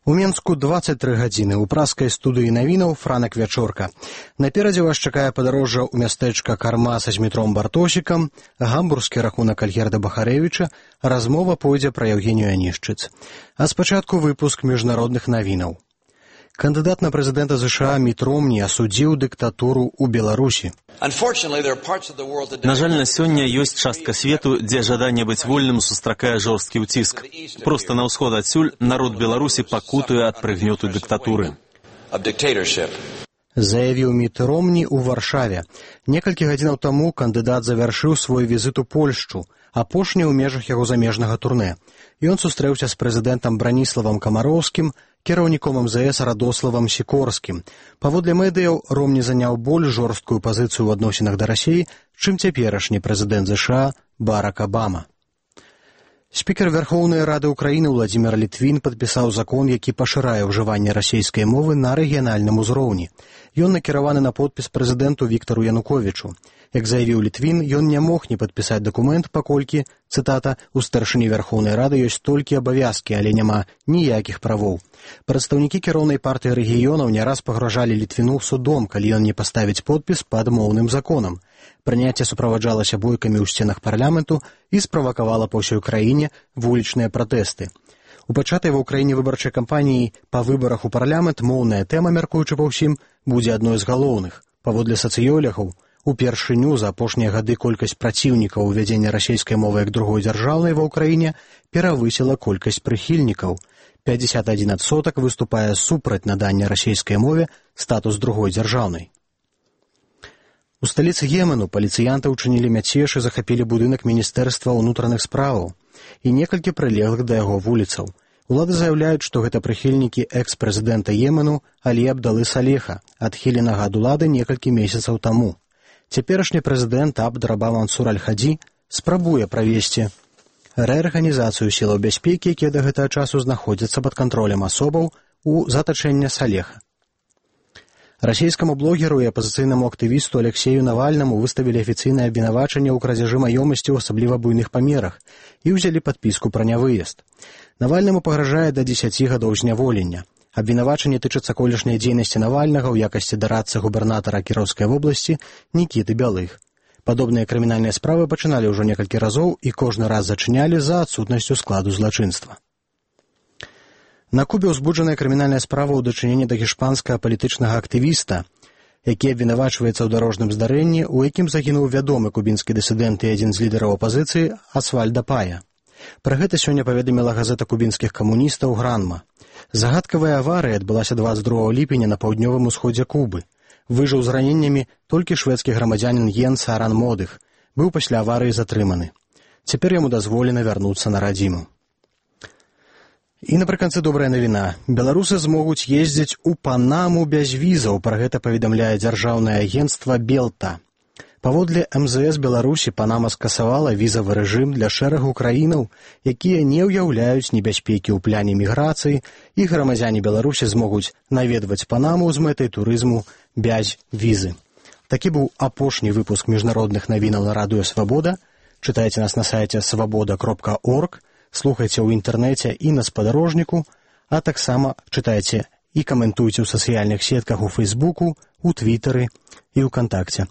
У Менску 23 гадзіны. У праскай студыі навінаў Франак Вячорка. Наперадзе вас чакае падарожжа ў мястэчка Карма са Змітром Бартосікам, гамбургскі рахунак Альгерда Бахарэвіча, размова пойдзе пра Евгенію Анішчыц. А спачатку выпуск міжнародных навінаў. Кандыдат на прэзідэнта США Міт Ромні асудзіў дыктатуру ў Беларусі. На жаль, на сёння ёсць частка свету, дзе жаданне быць вольным сустракае жорсткі ўціск. Проста на ўсход адсюль народ Беларусі пакутуе ад прыгнёту дыктатуры. Заявіў Міт Ромні ў Варшаве. Некалькі гадзінаў таму кандыдат завяршыў свой візіт у Польшчу, апошні ў межах яго замежнага турнэ. Ён сустрэўся з прэзідэнтам Браніславам Камароўскім, кіраўніком МЗС Радославам Сікорскім. Паводле медыяў, Ромні заняў больш жорсткую пазіцыю ў адносінах да Расіі, чым цяперашні прэзідэнт США Барак Абама. Спікер Верхоўнай Рады Ўкраіны Владзімір Літвін падпісаў закон, які пашырае ўжыванне расійскай мовы на рэгіянальным узроўні. Ён накіраваны на подпіс прэзідэнту Віктару Януковічу. Як заявіў Літвін, ён не мог не падпісаць дакумент, паколькі, цытата, «у старшыні Верхоўнай Рады ёсць толькі абавязкі, але няма ніякіх правоў». Прадстаўнікі кіроўнай партыі рэгіёнаў не раз пагражалі Літвіну судом, калі ён не паставіць подпіс пад моўным законам. Прыняцце суправаджалася бойкамі ў сценах парламенту і справакавала па ўсёй краіне вулічныя пратэсты. У пачатай ва ўкраіне выбарчай кампаніі па выбарах у парламент моўная тэма, мяркуючы па ўсім, будзе адной з галоўных. Паводле сацыёлягаў, упершыню за апошнія гады колькасць праціўнікаў увядзення расійскай мовы як другой дзяржаўнай ва ўкраіне перавысіла колькасць прыхільнікаў. 51% выступае супраць надання расійскай мове статус другой дзяржаўнай. У сталіцы Йемену паліцыянты ўчынілі мяцеж і захапілі будынак Міністэрства ўнутраных справаў і некалькі прылеглых да яго вуліцаў. Улады заяўляюць, што гэта прыхільнікі экс-прэзідэнта Йемену Алі Абдалы Салеха, адхіленага ад улады некалькі месяцаў таму. Цяперашні прэзідэнт Абд-Раба Мансур Аль-Хадзі спрабуе правесці рэарганізацыю сілаў бяспекі, якія да гэтага часу знаходзяцца пад кантролем асобаў у затачэння Салеха. Расійскаму блогеру і апазіцыйнаму актывісту Алексею Навальнаму выставілі афіцыйнае абвінавачанне ў крадзяжы маёмасці ў асабліва буйных памерах і ўзялі падпіску пра нявыезд. Навальнаму пагражае да 10 гадоў зняволення. Абвінавачанне тычыцца колішняй дзейнасці Навальнага ў якасці дарадцы губернатара Кіроўскай вобласці Нікіты Бялых. Падобныя крымінальныя справы пачыналі ўжо некалькі разоў і кожны раз зачынялі за адсутнасцю складу злачынства. На Кубе ўзбуджаная крымінальная справа ў дачыненні да гішпанскага палітычнага актывіста, які абвінавачваецца ў дарожным здарэнні, у якім загінуў вядомы кубінскі дысідэнт і адзін з лідараў апазіцыі Асвальда Пая. Пра гэта сёння паведаміла газета кубінскіх камуністаў «Гранма». Загадкавая аварыя адбылася 22 ліпеня на паўднёвым усходзе Кубы. Выжыў з раненнямі толькі шведскі грамадзянін Йенс Аран Модых. Быў пасля аварыі затрыманы. Цяпер яму дазволена вярнуцца на радзіму. І напрыканцы добрая навіна. Беларусы змогуць ездзіць у Панаму без візаў, пра гэта паведамляе дзяржаўнае агенцтва «Белта». Паводле МЗС Беларусі Панама скасавала візавы рэжым для шэрагу краінаў, якія не ўяўляюць небяспекі ў пляне міграцыі, і грамадзяне Беларусі змогуць наведваць Панаму з мэтай турызму без візы. Такі быў апошні выпуск міжнародных навінаў на радыё Свабода. Чытайце нас на сайце свабода.орг, слухайце ў інтэрнэце і на спадарожніку, а таксама чытайце і каментуйце ў сацыяльных сетках у Фейсбуку, у Твітары і ў Кантакце.